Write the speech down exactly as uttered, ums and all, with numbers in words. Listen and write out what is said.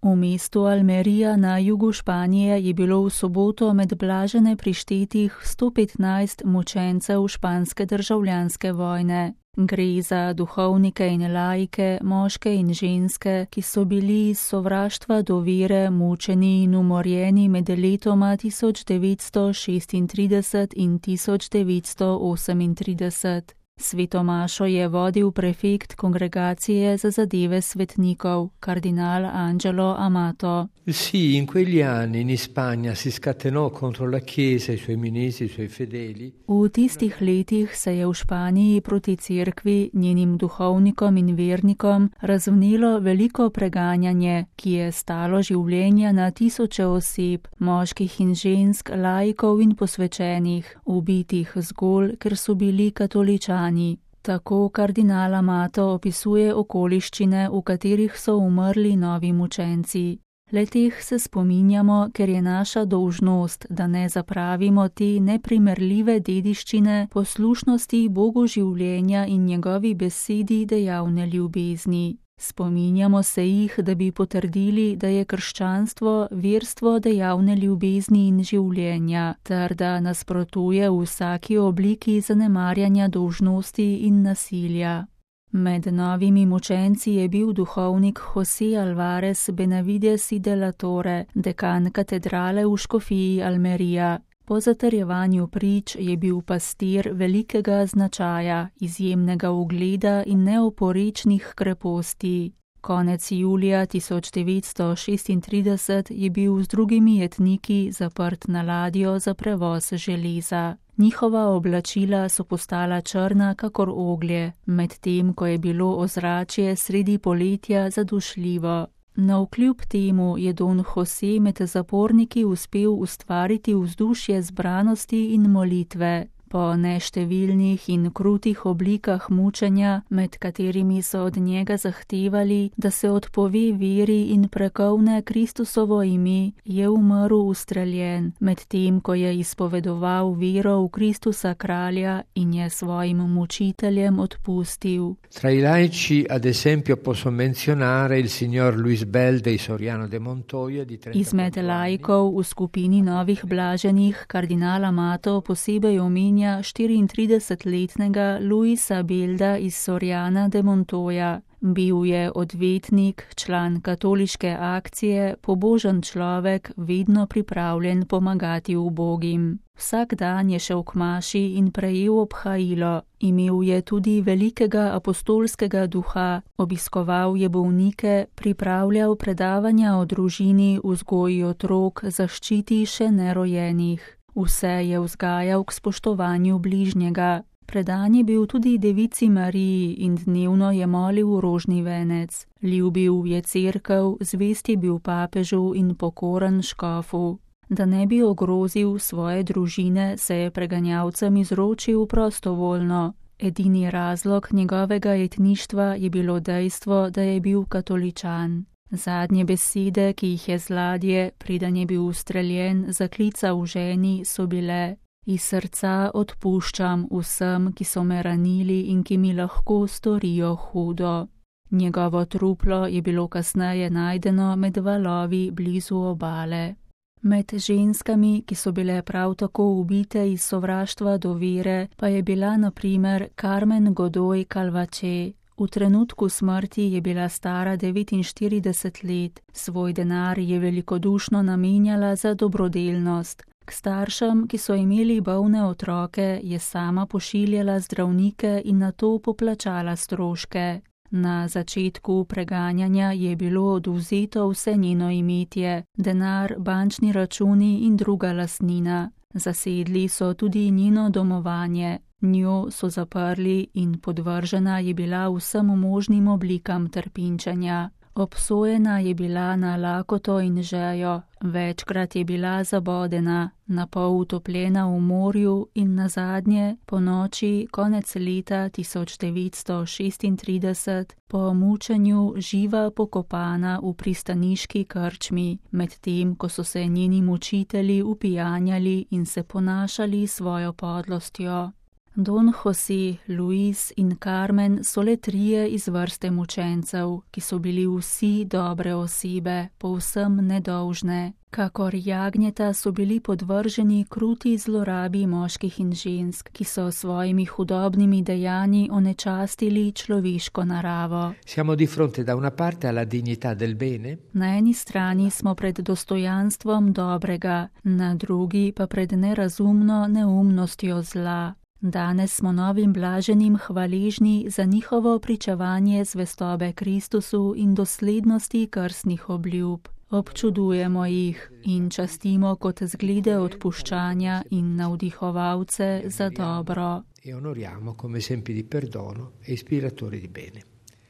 V mestu Almería na jugu Španije je bilo v soboto med blažene prištetih sto petnajst mučencev španske državljanske vojne. Gre za duhovnike in laike, moške in ženske, ki so bili iz sovraštva do vere mučeni in umorjeni med letoma tisoč devetsto šestintrideset in tisoč devetsto osemintrideset. Svetomašo je vodil prefekt kongregacije za zadeve svetnikov, kardinal Angelo Amato. Sì, in quegli anni in Spagna si scatenò contro la Chiesa, i suoi ministri, i suoi fedeli. V tistih letih se je v Španiji proti cerkvi, njenim duhovnikom in vernikom razvnelo veliko preganjanje, ki je stalo življenja na tisoče oseb, moških in žensk, laikov in posvečenih, ubitih zgolj, ker so bili katoličani. Tako kardinal Amato opisuje okoliščine, v katerih so umrli novi mučenci. Le-teh se spominjamo, ker je naša dolžnost, da ne zapravimo te neprimerljive dediščine poslušnosti Bogu življenja in njegovi besedi dejavne ljubezni. Spominjamo se jih, da bi potrdili, da je krščanstvo verstvo dejavne ljubezni in življenja, ter da nasprotuje vsaki obliki zanemarjanja dolžnosti in nasilja. Med novimi mučenci je bil duhovnik José Alvarez Benavides y de la Torre, dekan katedrale v škofiji Almería. Po zatrjevanju prič je bil pastir velikega značaja, izjemnega ugleda in neoporečnih kreposti. Konec julija tisoč devetsto šestintrideset je bil z drugimi jetniki zaprt na ladjo za prevoz železa. Njihova oblačila so postala črna kakor oglje, medtem ko je bilo ozračje sredi poletja zadušljivo. Navkljub temu je don José med zaporniki uspel ustvariti vzdušje zbranosti in molitve. Po neštevilnih in krutih oblikah mučenja, med katerimi so od njega zahtevali, da se odpove veri in prekovne Kristusovo ime, je umrl ustreljen, medtem ko je izpovedoval vero v Kristusa kralja in je svojim mučiteljem odpustil. Tra i laici, ad esempio, posso menzionare il signor Luis Belde Soriano de Montoya di trentaquattro Izmed laikov v skupini novih blaženih kardinal Amato posebej omenja štiriintridesetletnega Luisa Belda iz Soriana de Montoya. Bil je odvetnik, član katoliške akcije, pobožen človek, vedno pripravljen pomagati ubogim. Vsak dan je šel k maši in prejel obhajilo. Imel je tudi velikega apostolskega duha, obiskoval je bolnike, pripravljal predavanja o družini, vzgoji otrok, zaščiti še nerojenih. Vse je vzgajal k spoštovanju bližnjega. Predan je bil tudi devici Mariji in dnevno je molil v rožni venec. Ljubil je cerkev, zvest je bil papežu in pokoren škofu. Da ne bi ogrozil svoje družine, se je preganjalcem izročil prostovoljno. Edini razlog njegovega jetništva je bilo dejstvo, da je bil katoličan. Zadnje besede, ki jih je z ladje, preden je bil ustreljen, zaklical ženi, so bile: iz srca odpuščam vsem, ki so me ranili in ki mi lahko storijo hudo. Njegovo truplo je bilo kasneje najdeno med valovi blizu obale. Med ženskami, ki so bile prav tako ubite iz sovraštva do vere, pa je bila na primer Carmen Godoy Calvache. V trenutku smrti je bila stara devetinštirideset let, svoj denar je velikodušno namenjala za dobrodelnost. K staršem, ki so imeli bolne otroke, je sama pošiljala zdravnike in nato poplačala stroške. Na začetku preganjanja je bilo odvzeto vse njeno imetje, denar, bančni računi in druga lastnina. Zasedli so tudi njeno domovanje. Njo so zaprli in podvržena je bila vsem možnim oblikam trpinčenja. Obsojena je bila na lakoto in žejo, večkrat je bila zabodena, napol utopljena v morju in nazadnje, po noči konec leta tisoč devetsto šestintrideset, po mučenju živa pokopana v pristaniški krčmi, medtem ko so se njeni mučitelji upijanjali in se ponašali svojo podlostjo. Don José, Luis in Carmen so le trije iz vrste mučencev, ki so bili vsi dobre osebe, povsem nedolžne. Kakor jagnjeta so bili podvrženi kruti zlorabi moških in žensk, ki so svojimi hudobnimi dejanji onečastili človeško naravo. Siamo di fronte da una parte alla dignità del bene. Na eni strani smo pred dostojanstvom dobrega, na drugi pa pred nerazumno neumnostjo zla. Danes smo novim blaženim hvaležni za njihovo pričevanje zvestobe Kristusu in doslednosti krstnih obljub. Občudujemo jih in častimo kot zglede odpuščanja in navdihovalce za dobro. E onoriamo come esempi di perdono e ispiratori di bene.